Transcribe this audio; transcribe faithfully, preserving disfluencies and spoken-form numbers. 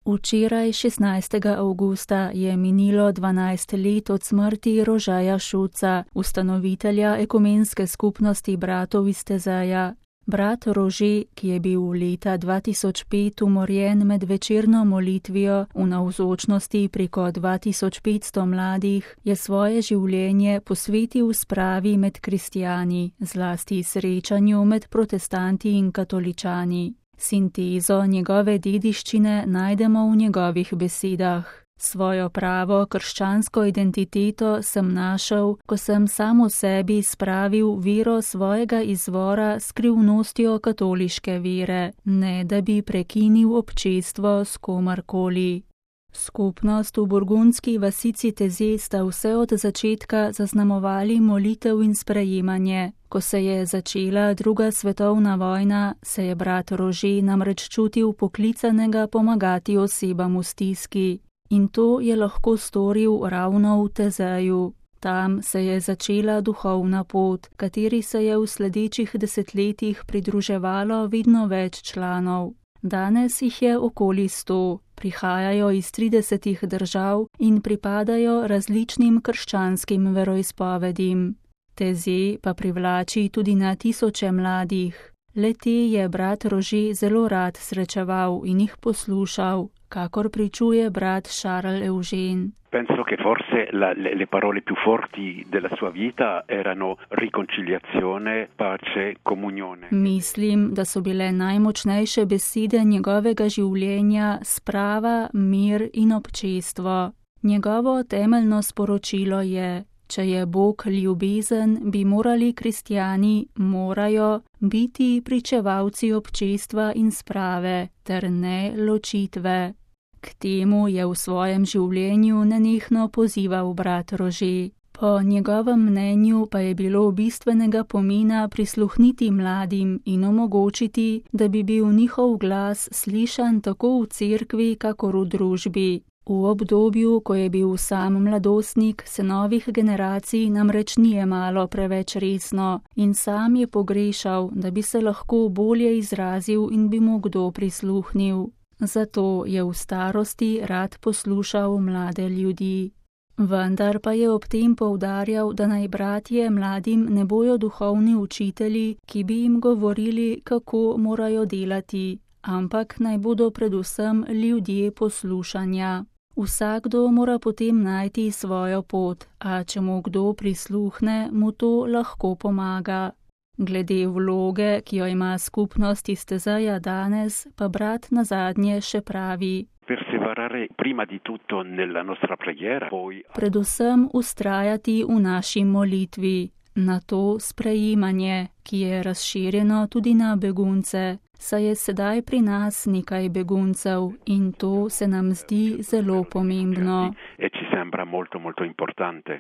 Včeraj, šestnajstega avgusta, je minilo dvanajst let od smrti Rožeja Šuca, ustanovitelja ekumenske skupnosti bratov iz Tezeja. Brat Rože, ki je bil leta dva tisoč pet umorjen med večerno molitvijo v navzočnosti preko dva tisoč petsto mladih, je svoje življenje posvetil spravi med kristjani, zlasti srečanju med protestanti in katoličani. Sintezo njegove dediščine najdemo v njegovih besedah. Svojo pravo krščansko identiteto sem našel, ko sem sam v sebi spravil vero svojega izvora s skrivnostjo katoliške vere, ne da bi prekinil občestvo s komarkoli. Skupnost v burgundski vasici Teze sta vse od začetka zaznamovali molitev in sprejemanje. Ko se je začela druga svetovna vojna, se je brat Rože namreč čutil poklicanega pomagati osebam v stiski. In to je lahko storil ravno v Tezeju. Tam se je začela duhovna pot, kateri se je v sledečih desetletjih pridruževalo vedno več članov. Danes jih je okoli sto, prihajajo iz tridesetih držav in pripadajo različnim krščanskim veroizpovedim. Teze pa privlači tudi na tisoče mladih. Le te je brat Rože zelo rad srečeval in jih poslušal, kakor pričuje brat Charles Eugene. Penso che forse la, le, le parole più forti della sua vita erano riconciliazione, pace, comunione. Mislim, da so bile najmočnejše besede njegovega življenja sprava, mir in občestvo. Njegovo temeljno sporočilo je: če je Bog ljubezen, bi morali kristjani, morajo, biti pričevalci občestva in sprave, ter ne ločitve. K temu je v svojem življenju nenehno pozival brat Rože. Po njegovem mnenju pa je bilo bistvenega pomena prisluhniti mladim in omogočiti, da bi bil njihov glas slišan tako v cerkvi, kakor v družbi. V obdobju, ko je bil sam mladostnik, se novih generacij namreč ni jemalo preveč resno in sam je pogrešal, da bi se lahko bolje izrazil in bi mu kdo prisluhnil. Zato je v starosti rad poslušal mlade ljudi. Vendar pa je ob tem poudarjal, da naj bratje mladim ne bojo duhovni učitelji, ki bi jim govorili, kako morajo delati, ampak naj bodo predvsem ljudje poslušanja. Vsakdo mora potem najti svojo pot, a če mu kdo prisluhne, mu to lahko pomaga. Glede vloge, ki jo ima skupnost iz Tezeja danes, pa brat nazadnje še pravi: predvsem ustrajati v naši molitvi, na to sprejemanje, ki je razširjeno tudi na begunce, saj je sedaj pri nas nekaj beguncev in to se nam zdi zelo pomembno.